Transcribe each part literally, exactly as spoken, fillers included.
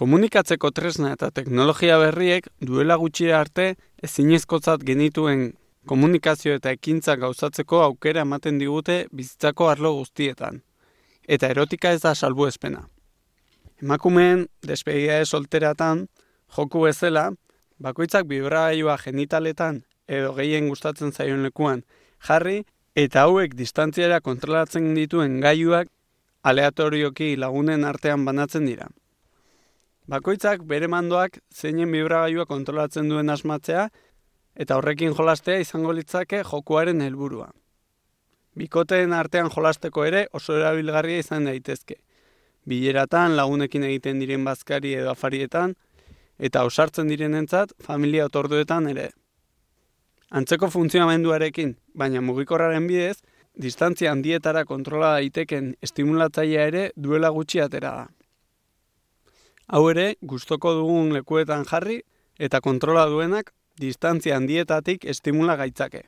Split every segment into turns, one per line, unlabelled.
Komunikatzeko tresna eta teknologia berriek duela gutxi arte ezinezkotzat genituen komunikazio eta ekintza gauzatzeko aukera ematen digute bizitzako arlo guztietan. Eta erotika ez da salbuespena. Emakumeen despedida solteratan joku bezala, bakoitzak bibragailua genitaletan edo gehien gustatzen zaion lekuan jarri eta hauek distantziara kontrolatzen dituen gailuak aleatorioki lagunen artean banatzen dira. Bakoitzak bere mandoak zeinen bibragailua kontrolatzen duen asmatzea eta horrekin jolastea izango litzake jokuaren helburua. Bikoteen artean jolasteko ere oso erabilgarria izan daitezke. Bileratan, lagunekin egiten diren bazkari edo afarietan, eta ausartzen direnentzat familia otorduetan ere. Antzeko funtzionamenduarekin, baina mugikorraren bidez, distantzia handietara kontrola daiteken estimulatzailea ere duela gutxi atera da. Hau ere, gustoko dugun lekuetan jarri eta kontrola duenak distantzia handietatik estimula gaitzake.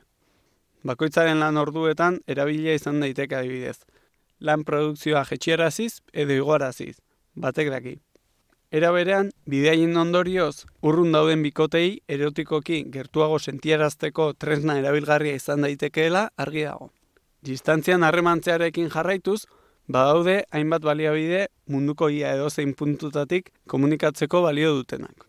Bakoitzaren lan orduetan erabilia izan daiteke adibidez. Lan produkzioa jetxieraziz edo igoaraziz, batek daki. Era berean, bideaien ondorioz, urrun dauden bikotei erotikoki gertuago sentiarazteko tresna erabilgarria izan daitekeela argi dago. Distantzian harremantzearekin jarraituz, badaude hainbat baliabide munduko ia edozein puntutatik komunikatzeko balio dutenak.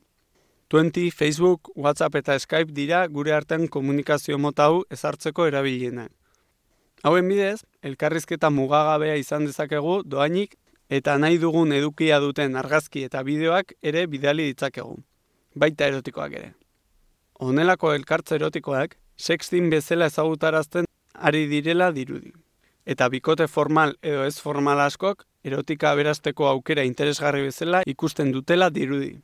Twenty, Facebook, WhatsApp eta Skype dira gure artean komunikazio mota hau ezartzeko erabilienak. Hauen bidez, elkarrizketa mugagabea izan dezakegu doainik eta nahi dugun edukia duten argazki eta bideoak ere bidali ditzakegu, baita erotikoak ere. Honelako elkartze erotikoak sexting bezala ezagutarazten ari direla dirudi. Eta bikote formal edo ez formal askok erotika aberasteko aukera interesgarri bezala ikusten dutela dirudi.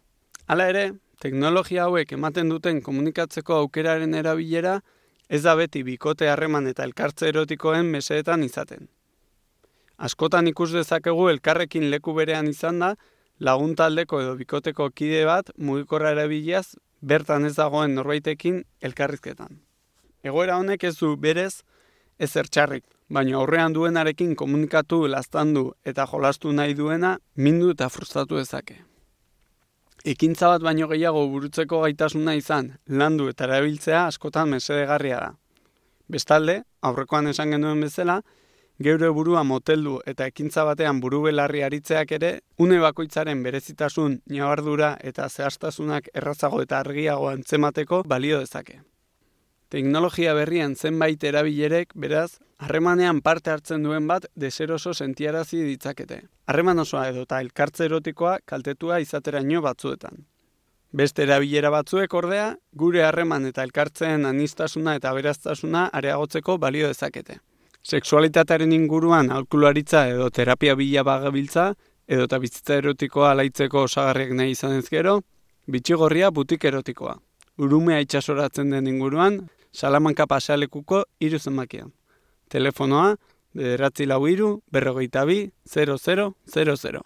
Hala ere, teknologia hauek ematen duten komunikatzeko aukeraren erabilera ez da beti bikote harreman eta elkartze erotikoen mesedetan izaten. Askotan ikus dezakegu elkarrekin leku berean izan da, lagun taldeko edo bikoteko kide bat mugikorra erabiliaz bertan ez dagoen norbaitekin elkarrizketan. Egoera honek ez du berez ezer txarrik, baina aurrean duenarekin komunikatu, laztandu eta jolastu nahi duena mindu eta frustratu dezake. Ekintza bat baino gehiago burutzeko gaitasuna izan, landu eta erabiltzea askotan mesedegarria da. Bestalde, aurrekoan esan genuen bezala, geure burua moteldu eta ekintza batean buru belarri aritzeak ere, une bakoitzaren berezitasun, ñabardura eta zehaztasunak errazago eta argiago antzemateko balio dezake. Teknologia berrian zenbait erabilerek, beraz, harremanean parte hartzen duen bat deseroso sentiarazi ditzakete. Harreman osoa edo eta elkartze erotikoa kaltetua izateraino batzuetan. Beste erabilera batzuek ordea, gure harreman eta elkartzeen aniztasuna eta aberastasuna areagotzeko balio dezakete. Sexualitatearen inguruan aholkularitza edo terapia bila bagabiltza, edo eta bizitza erotikoa alaitzeko osagarriak nahi izan ez gero, bitxigorria butik erotikoa. Urumea itxasoratzen den inguruan, Salamanka pasealekuko hiru zenbakia. Telefonoa, bederatzi lau hiru, berrogeita bi, zero zero zero zero.